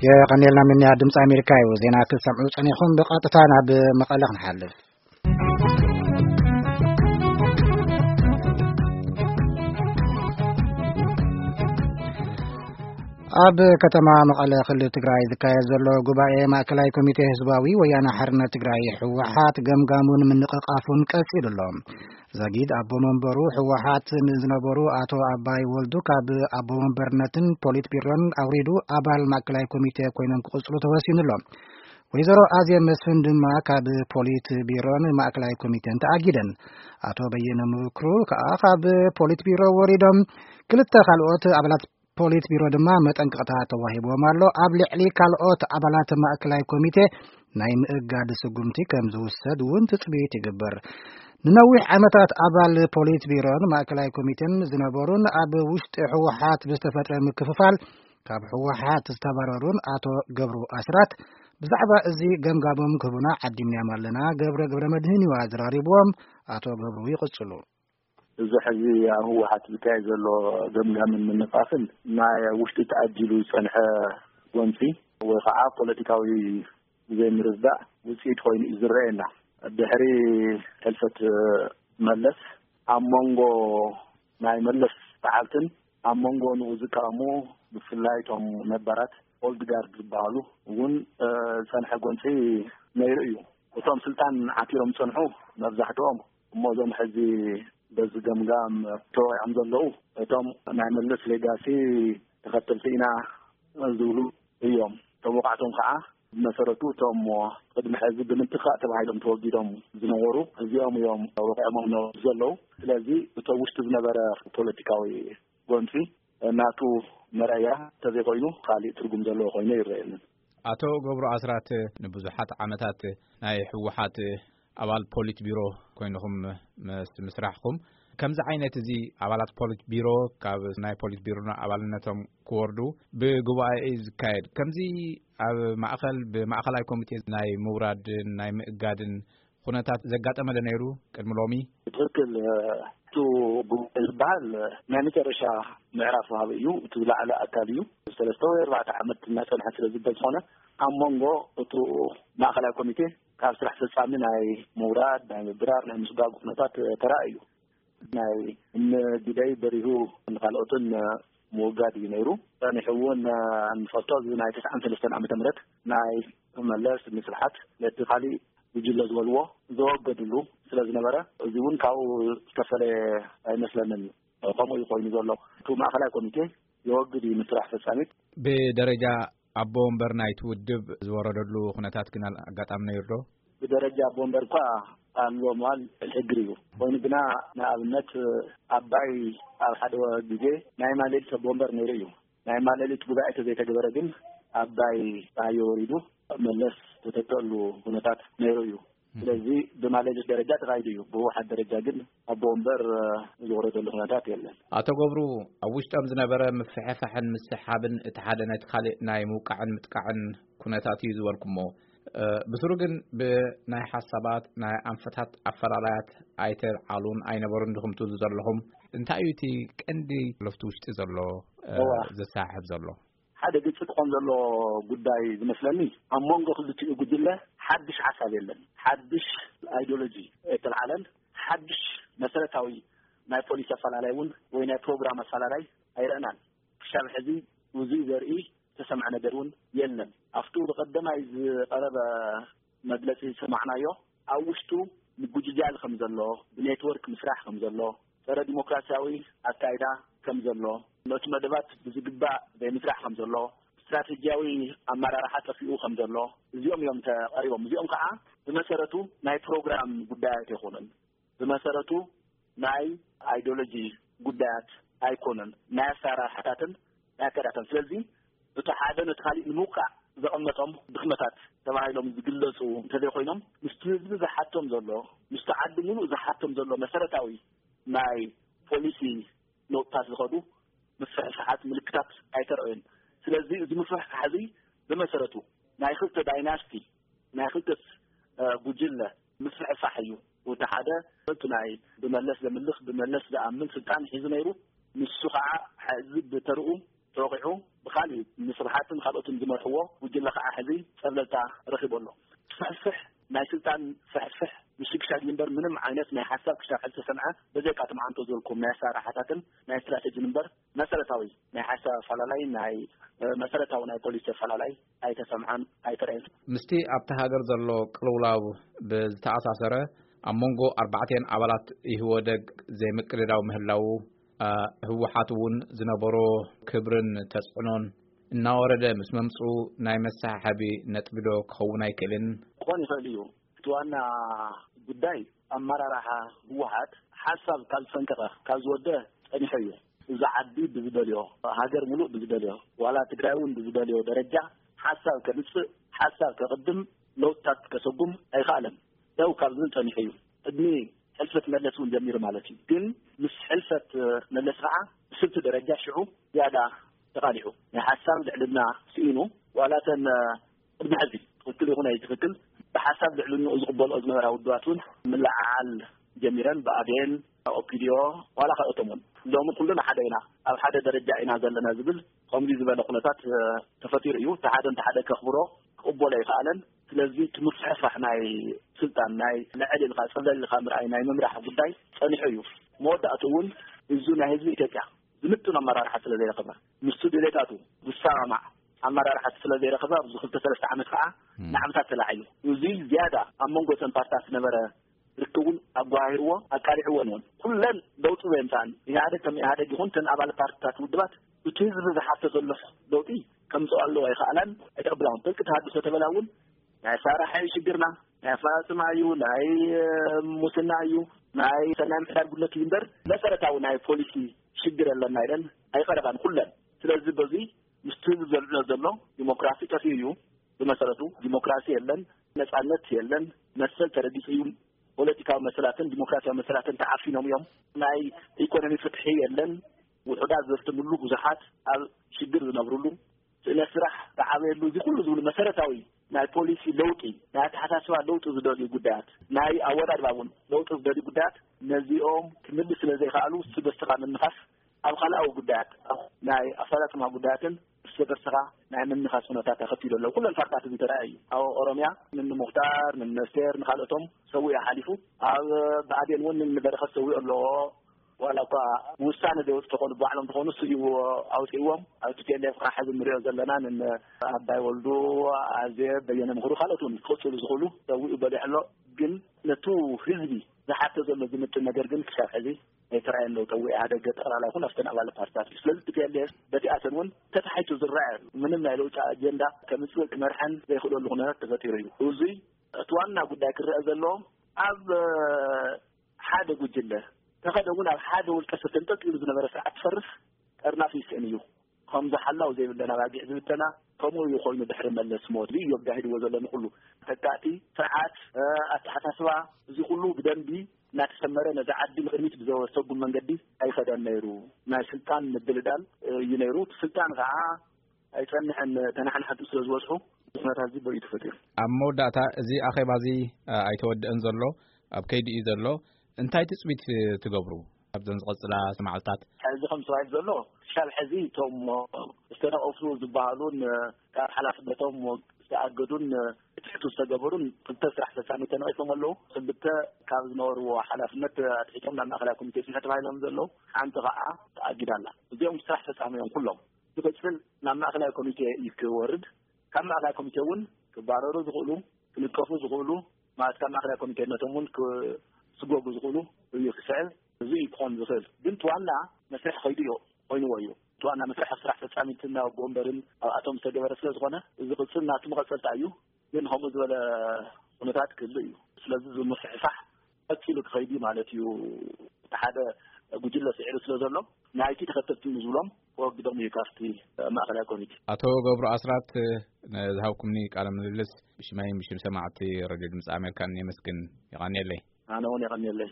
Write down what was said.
የቐኔልና ምንያ ድምፂ ኣሜሪካ እዩ። ዜና ክትሰምዑ ጸኒኹም ብቐጥታ ናብ መቐለ ክንሓልፍ። ኣብ ከተማ መቐለ ክልል ትግራይ ዝካየድ ዘሎ ጉባኤ ማእከላይ ኮሚቴ ህዝባዊ ወያነ ሓርነት ትግራይ ህወሓት ገምጋሙን ምንቕቓፉን ቀጺሉ ኣሎ። ዘጊድ ኣቦ መንበሩ ህወሓት ንዝነበሩ ኣቶ ኣባይ ወልዱ ካብ ኣቦ መንበርነትን ፖሊት ቢሮን ኣውሪዱ ኣባል ማእከላይ ኮሚቴ ኮይኖም ክቕጽሉ ተወሲኑ ኣሎ። ወይዘሮ ኣዜብ መስፍን ድማ ካብ ፖሊት ቢሮን ማእከላይ ኮሚቴን ተኣጊደን። ኣቶ በየነ ምክሩ ከኣ ካብ ፖሊት ቢሮ ወሪዶም። ክልተ ካልኦት ኣባላት ፖሊት ቢሮ ድማ መጠንቀቕታ ተዋሂብዎም ኣሎ። ኣብ ልዕሊ ካልኦት ኣባላት ማእከላይ ኮሚቴ ናይ ምእጋድ ስጉምቲ ከም ዝውሰድ እውን ትጽቢት ይግበር። ንነዊሕ ዓመታት ኣባል ፖሊት ቢሮን ማእከላይ ኮሚቴን ዝነበሩን ኣብ ውሽጢ ህወሓት ብዝተፈጥረ ምክፍፋል ካብ ህወሓት ዝተባረሩን ኣቶ ገብሩ ኣስራት ብዛዕባ እዚ ገምጋሞም ክህቡና ዓዲምናዮም ኣለና። ገብረ ገብረ መድህን እዩ ኣዘራሪብዎም። ኣቶ ገብሩ ይቕጽሉ። እዚ ሕዚ ኣብ ህወሓት ዝካየድ ዘሎ ገምጋምን ምንቃፍን ናይ ውሽጢ ተኣጂሉ ዝጸንሐ ጎንጺ ወይ ከዓ ፖለቲካዊ ዘይምርዳእ ውፅኢት ኮይኑ እዩ ዝረአየና። ድሕሪ ሕልፈት መለስ ኣብ መንጎ ናይ መለስ ሰዓብትን ኣብ መንጎ ንኡ ዝቃወሙ ብፍላይ እቶም ነባራት ኦልድ ጋርድ ዝበሃሉ እውን ዝፀንሐ ጎንፂ ነይሩ እዩ። እቶም ስልጣን ዓቲሮም ዝፀንሑ መብዛሕትኦም እሞ እዞም ሕዚ በዚ ገምጋም ተወቂዖም ዘለዉ እቶም ናይ መለስ ሌጋሲ ተኸተልቲ ኢና ዝብሉ እዮም። ተወቃዕቶም ከዓ ብመሰረቱ እቶም ቅድሚ ሕዚ ብምትኻእ ተባሂሎም ተወጊዶም ዝነበሩ እዚኦም እዮም ወቂዖሞም ዘለዉ። ስለዚ እቶ ውሽጢ ዝነበረ ፖለቲካዊ ጎንፂ ናቱ መረያ እንተዘይኮይኑ ካሊእ ትርጉም ዘለዎ ኮይኑ ይረኣየንን። ኣቶ ገብሩ ኣስራት ንብዙሓት ዓመታት ናይ ህወሓት ኣባል ፖሊት ቢሮ ኮይንኹም ምስ ምስራሕኹም ከምዚ ዓይነት እዚ ኣባላት ፖሊት ቢሮ ካብ ናይ ፖሊት ቢሮ ኣባልነቶም ክወርዱ ብጉባኤ እዩ ዝካየድ። ከምዚ ኣብ ማእኸል ብማእኸላይ ኮሚቴ ናይ ምውራድን ናይ ምእጋድን ኩነታት ዘጋጠመ ዶ ነይሩ ቅድሚ ሎሚ? ትኽክል። እቲ ጉባኤ ዝበሃል ናይ መጨረሻ ምዕራፍ ወሃቢ እዩ። እቲ ዝለዓለ ኣካል እዩ። ሰለስተ ወይ ኣርባዕተ ዓመት እናፀንሐ ስለ ዝበል ዝኾነ ኣብ መንጎ እቲ ማእኸላይ ኮሚቴ ካብ ስራሕ ፈፃሚ ናይ ምውራድ ናይ ምብራር ናይ ምስጓግ ኩነታት ተራእዩ። ናይ እነ ግዳይ በሪሁ ንካልኦትን ምውጋድ እዩ ነይሩ። ጸኒሑ እውን ንፈልጦ እዚ ናይ ተስዓን ሰለስተን ዓመተ ምህረት ናይ መለስ ንስብሓት ነቲ ካሊእ ጉጅለ ዝበልዎ ዘወገድሉ ስለ ዝነበረ እዚ እውን ካብኡ ዝተፈለየ ኣይመስለንን። ከምኡ እዩ ኮይኑ ዘሎ። እቲ ማእኸላይ ኮሚቴ የወግድ እዩ ንስራሕ ፈጻሚት። ብደረጃ ኣቦ ወንበር ናይቲ ውድብ ዝወረደሉ ኩነታት ግን ኣጋጣሚ ነይሩ ዶ? ብደረጃ ኣቦ ወንበር እኳ ኣሎ ምባል ሕግር እዩ። ኮይኑ ግና ንኣብነት ኣባይ ኣብ ሓደ ግዜ ናይ ማሌሊት ኣቦ ወንበር ነይሩ እዩ። ናይ ማሌሊት ጉባኤ ተዘይተገበረ ግን ኣባይ ፀሃየ ወሪዱ መለስ ዝተተከሉ ኩነታት ነይሩ እዩ። ስለዚ ብማሌሊት ደረጃ ተኻይዱ እዩ። ብህወሓት ደረጃ ግን ኣቦ ወንበር ዝወረደሉ ኩነታት የለን። ኣቶ ገብሩ፣ ኣብ ውሽጦም ዝነበረ ምፍሕፋሕን ምስሓብን እቲ ሓደ ነቲ ካልእ ናይ ምውቃዕን ምጥቃዕን ኩነታት እዩ ዝበልኩሞ። ብስሩ ግን ብናይ ሓሳባት ናይ ኣንፈታት ኣፈላላያት ኣይተልዓሉን ኣይነበሩን ድኹም ትብሉ ዘለኹም። እንታይ እዩ እቲ ቀንዲ ለፍቲ ውሽጢ ዘሎ፣ እ፣ እዋ። ዘሰሓሕብ ዘሎ? ሓደ ግልፂ ክኾን ዘሎ ጉዳይ ዝመስለኒ ኣብ መንጎ ክልቲኡ ጉጅለ ሓድሽ ሓሳብ የለን። ሓድሽ ኣይዲዮሎጂ ኣይተልዓለን። ሓድሽ መሰረታዊ ናይ ፖሊሲ ኣፈላላይ እውን ወይ ናይ ፕሮግራም ኣፈላላይ ኣይረእናን። ክሻብ ሕዚ ውዙይ ዘርኢ ዝተሰምዐ ነገር እውን የለን። ኣብቱ ብቐደማይ ዝቐረበ መግለጺ ዝሰማዕናዮ ኣብ ውሽጡ ምጉጅጃል ከም ዘሎ፣ ብኔትወርክ ምስራሕ ከም ዘሎ፣ ጸረ ዲሞክራሲያዊ ኣካይዳ ከም ዘሎ፣ ነቲ መደባት ብዝግባእ ዘይምስራሕ ከም ዘሎ፣ ስትራቴጂያዊ ኣመራርሓ ጠፊኡ ከም ዘሎ፣ እዚኦም እዮም ተቐሪቦም። እዚኦም ከዓ ብመሰረቱ ናይ ፕሮግራም ጉዳያት ኣይኮኑን። ብመሰረቱ ናይ ኣይዲዮሎጂ ጉዳያት ኣይኮኑን። ናይ ኣሰራርሓታትን ናይ ኣካይዳታትን። ስለዚ እቲ ሓደ ነቲ ካሊእ ንምውቃዕ ዘቐመጦም ድኽመታት ተባሂሎም ዝግለጹ እንተዘይኮይኖም፣ ምስቲ ህዝቢ ዝሓቶም ዘሎ፣ ምስቲ ዓዲ ሙሉእ ዝሓቶም ዘሎ መሰረታዊ ናይ ፖሊሲ ለውጥታት ዝኸዱ ምፍሕፋሓት ምልክታት ኣይተረኣዩን። ስለዚ እዚ ምፍሕፋሕ እዚ ብመሰረቱ ናይ ክልተ ዳይናስቲ፣ ናይ ክልተ፣ እ፣ ጉጅለ ምፍሕፋሕ እዩ። እቲ ሓደ እቲ ናይ ብመለስ ዘምልኽ፣ ብመለስ ዝኣምን ስልጣን ሒዙ ነይሩ። ንሱ ከዓ ሕዚ ብተርኡ ተወቂዑ ብኻሊእ ንስብሓትን ካልኦትን ዝመርሑ ዎ ጉጅለ ከዓ ሕዚ ፀብለልታ ረኺቡ ኣሎ። ፍሕፍሕ ናይ ስልጣን ፍሕፍሕ ምሽግሻግ እምበር ምንም ዓይነት ናይ ሓሳብ ክሻብ ሕዚ ተሰምዐ በዘይካ እቲ መዓንቶ ዝበልኩም ናይ ኣሰራርሓታትን ናይ ስትራቴጂን እምበር መሰረታዊ ናይ ሓሳብ ኣፈላላይ ናይ መሰረታዊ ናይ ፖሊሲ ኣፈላላይ ኣይተሰምዐን ኣይተረእን። ምስቲ ኣብቲ ሃገር ዘሎ ቅልውላው ብዝተኣሳሰረ ኣብ መንጎ ኣርባዕተን ኣባላት ኢህወደግ ዘይምቅድዳው ምህላው ህወሓት እውን ዝነበሮ ክብርን ተፅዕኖን እናወረደ ምስ መምፅኡ ናይ መሰሓሓቢ ነጥቢ ዶ ክኸውን ኣይክእልን? ክኾን ይኽእል እዩ። እቲ ዋና ጉዳይ ኣመራርሓ ህወሓት ሓሳብ ካብ ዝፈንቀቐ ካብ ዝወደ ፀኒሑ እዩ። እዚ ዓዲ ብዝደልዮ ሃገር ሙሉእ ብዝደልዮ ዋላ ትግራይ እውን ብዝደልዮ ደረጃ ሓሳብ ከምፅእ ሓሳብ ከቕድም ለውጥታት ከሰጉም ኣይኸኣለን። ደው ካብ ዝብል ፀኒሑ እዩ። ቅድሚ ሕልፈት መለስ እውን ጀሚሩ ማለት እዩ። ግን ምስ ሕልፈት መለስ ከዓ ብስልቲ ደረጃ ሽዑ ዝያዳ ተቓሊዑ ናይ ሓሳብ ልዕልና ስኢኑ ዋላተን ቅድሚ ሕዚ ትኽክል ይኹን ኣይትኽክል ብሓሳብ ልዕልንኡ ዝቕበልኦ ዝነበራ ውድባት እውን ምልዓዓል ጀሚረን ብኣዴን ኦፒድዮ ዋላ ካልኦቶም እውን ሎሚ ኩልና ሓደ ኢና ኣብ ሓደ ደረጃ ኢና ዘለና ዝብል ከምዚ ዝበለ ኩነታት ተፈጢሩ እዩ። ተሓደ እንተሓደ ከኽብሮ ክቕበሎ ኣይከኣለን። ስለዚ ትምፍሕፋሕ ናይ ስልጣን ናይ ልዕል ኢልካ ፀለል ኢልካ ምርኣይ ናይ ምምራሕ ጉዳይ ፀኒሑ እዩ። መወዳእቱ እውን እዚ ናይ ህዝቢ ኢትዮጵያ ዝምጥን ኣመራርሓ ስለ ዘይረኸበ ምስቱ ድሌታቱ ዝሰማማዕ ኣመራርሓ ስለ ዘይረኸበ ኣብዚ ክልተ ሰለስተ ዓመት ከዓ ንዓመታት ተላዒሉ እዚ ዝያዳ ኣብ መንጎ እተን ፓርትታት ዝነበረ ርክቡን ኣጓሂርዎ ኣቃሊዕዎን እውን ኩለን ለውጢ ዘየምፃን ኢህኣደግ ከም ኢህኣደግ ይኹን ተን ኣባል ፓርትታት ውድባት እቲ ህዝቢ ዝሓቶ ዘሎ ለውጢ ከምፅኦ ኣለዎ ኣይከኣላን ኣይተቐብላውን ጥልቂ ተሃድሶ ተበላ እውን ናይ ኣሰራርሓ እዩ ሽግርና ናይ ኣፈፃፅማ እዩ ናይ ሙስና እዩ ናይ ሰናይ ምሕዳር ጉድለት እዩ እምበር መሰረታዊ ናይ ፖሊሲ ሽግር ኣለና ኢለን ኣይቐረባን ኩለን። ስለዚ በዚ ምስቲ ህዝቢ ዘልዕሎ ዘሎ ዲሞክራሲ ጠፊኡ እዩ። ብመሰረቱ ዲሞክራሲ የለን፣ ነፃነት የለን፣ መሰል ተረጊፁ እዩ። ፖለቲካዊ መሰላትን ዲሞክራሲያዊ መሰላትን ተዓፊኖም እዮም። ናይ ኢኮኖሚ ፍትሒ የለን። ውሑዳት ዘፍትምሉ ብዙሓት ኣብ ሽግር ዝነብርሉ ስእነት ስራሕ ዝዓበየሉ እዚ ኩሉ ዝብሉ መሰረታዊ ናይ ፖሊሲ ለውጢ ናይ ኣተሓሳስባ ለውጢ ዝደልዩ ጉዳያት ናይ ኣወዳድባ እውን ለውጢ ዝደልዩ ጉዳያት ነዚኦም ክምልስ ስለ ዘይከኣሉ ስበስተኻ ምንኻስ ኣብ ካልኣዊ ጉዳያት ናይ ኣፈፃፅማ ጉዳያትን እርስ በርስኻ ናይ ምንኻስ ኩነታት ተኸቲሉ ኣሎ። ኩለን ፓርትታት እዚ ተረኣየ እዩ። ኣብ ኦሮምያ ንንሙክታር ንነስቴር ንካልኦቶም ሰዊኡ ሓሊፉ ኣብ ብኣዴን እውን ንበረኸት ሰዊኡ ኣለዎ። ዋላ እኳ ውሳነ ዘይወፅእ ተኾኑ ባዕሎም ተኾኑ እሱ እዩ ኣውፅእዎም ኣብ ቲ ፒ ኤል ኤፍ ከዓ ሕዚ ንሪኦ ዘለና ን ኣባይ ወልዱ ኣዜ በየነ ምክሩ ካልኦት እውን ክቕፅሉ ዝኽእሉ ሰዊኡ በሊሕ ኣሎ። ግን ነቱ ህዝቢ ዝሓተ ዘሎ ዝምጥን ነገር ግን ክሳብ ሕዚ ኣይተረኣየን ለውጠ ወይ ኢህኣደግ ጠቕላላ ይኹን ኣብተን ኣባል ፓርትታት እዩ። ስለዚ ቲ ፒ ኤል ኤፍ በቲኣተን እውን ተታሒቱ ዝረኣየ ምንም ናይ ለውጢ ኣጀንዳ ከምፅእ ክመርሐን ዘይኽእለሉ ኩነታት ተፈጢሩ እዩ። እዙይ እቲ ዋና ጉዳይ ክረአ ዘለዎ ኣብ ሓደ ጉጅለ ተኸደ እውን ኣብ ሓደ ውልቀ ሰብ ተንጠልጢሉ ዝነበረ ስርዓት ክፈርስ ጠርናፍ ይስእን እዩ። ከምዚ ሓላው ዘይብለን ኣባጊዕ ዝብተና ከምኡ እዩ ኮይኑ ድሕሪ መለስ ሞት እዩ ኣጋሂድዎ ዘሎ ንኩሉ ተካእቲ ስርዓት ኣተሓሳስባ እዚ ኩሉ ብደንቢ እናተሰመረ ነዚ ዓዲ ንቅድሚት ብዘወሰጉ መንገዲ ኣይኸደን ነይሩ። ናይ ስልጣን ምድልዳል እዩ ነይሩ። እቲ ስልጣን ከዓ ኣይፀንሐን ተናሓናሕቱ ስለ ዝበዝሑ ኩነታት እዚ በይኡ ተፈጢሩ። ኣብ መወዳእታ እዚ ኣኼባ እዚ ኣይተወድአን ዘሎ ኣብ ከይዲ እዩ ዘሎ። እንታይ ትፅቢት ትገብሩ ኣብዘን ዝቐፅላ መዓልታት? ሕዚ ከም ተባሂሉ ዘሎ ክሻብ ሕዚ እቶም ዝተነቐፉ ዝበሃሉን ካብ ሓላፍነቶም ዝተኣገዱን ክትሕቱ ዝተገበሩን ክልተ ስራሕ ፈፃሚ ተነቒፎም ኣለዉ። ክልተ ካብ ዝነበርዎ ሓላፍነት ኣትሒቶም ናብ ማእኸላይ ኮሚቴ ስምሒ ተባሂሎም ዘለዉ ሓንቲ ከዓ ተኣጊዳ ኣላ። እዚኦም ስራሕ ፈፃሚ እዮም ኩሎም። ዝቕፅል ናብ ማእኸላይ ኮሚቴ እዩ ክወርድ። ካብ ማእኸላይ ኮሚቴ እውን ክባረሩ ዝኽእሉ ክልጠፉ ዝኽእሉ ማለት ካብ ማእኸላይ ኮሚቴነቶም እውን ክስጎጉ ዝኽእሉ እዩ ክስዕብ። እዚ እዩ ክኾን ዝኽእል። ግን እቲ ዋና መስርሕ ከይዱ እዩ ኮይንዎ እዩ። እቲ ዋና መስርሕ ኣብ ስራሕ ፈፃሚትን ኣብ ወንበርን ኣብኣቶም ዝተገበረ ስለ ዝኾነ እዚ ቅፅል ናቱ መቐፀልታ እዩ። ግን ከምኡ ዝበለ ኩነታት ክህሉ እዩ። ስለዚ ዝምፍሕፋሕ ቀፂሉ ክኸይድ እዩ ማለት እዩ። እቲ ሓደ ጉጅለ ስዒሩ ስለ ዘሎ ናይቲ ተኸተልቲ ዝብሎም ክወግዶም እዩ ካብቲ ማእኸላይ ኮሚቴ። ኣቶ ገብሩ ኣስራት ንዝሃብኩምኒ ቃለ ምልልስ ብሽመይን ብሽም ሰማዕቲ ረድዮ ድምፂ ኣሜሪካን የመስግን። የቐንየለይ። ኣነ እውን የቐንየለይ።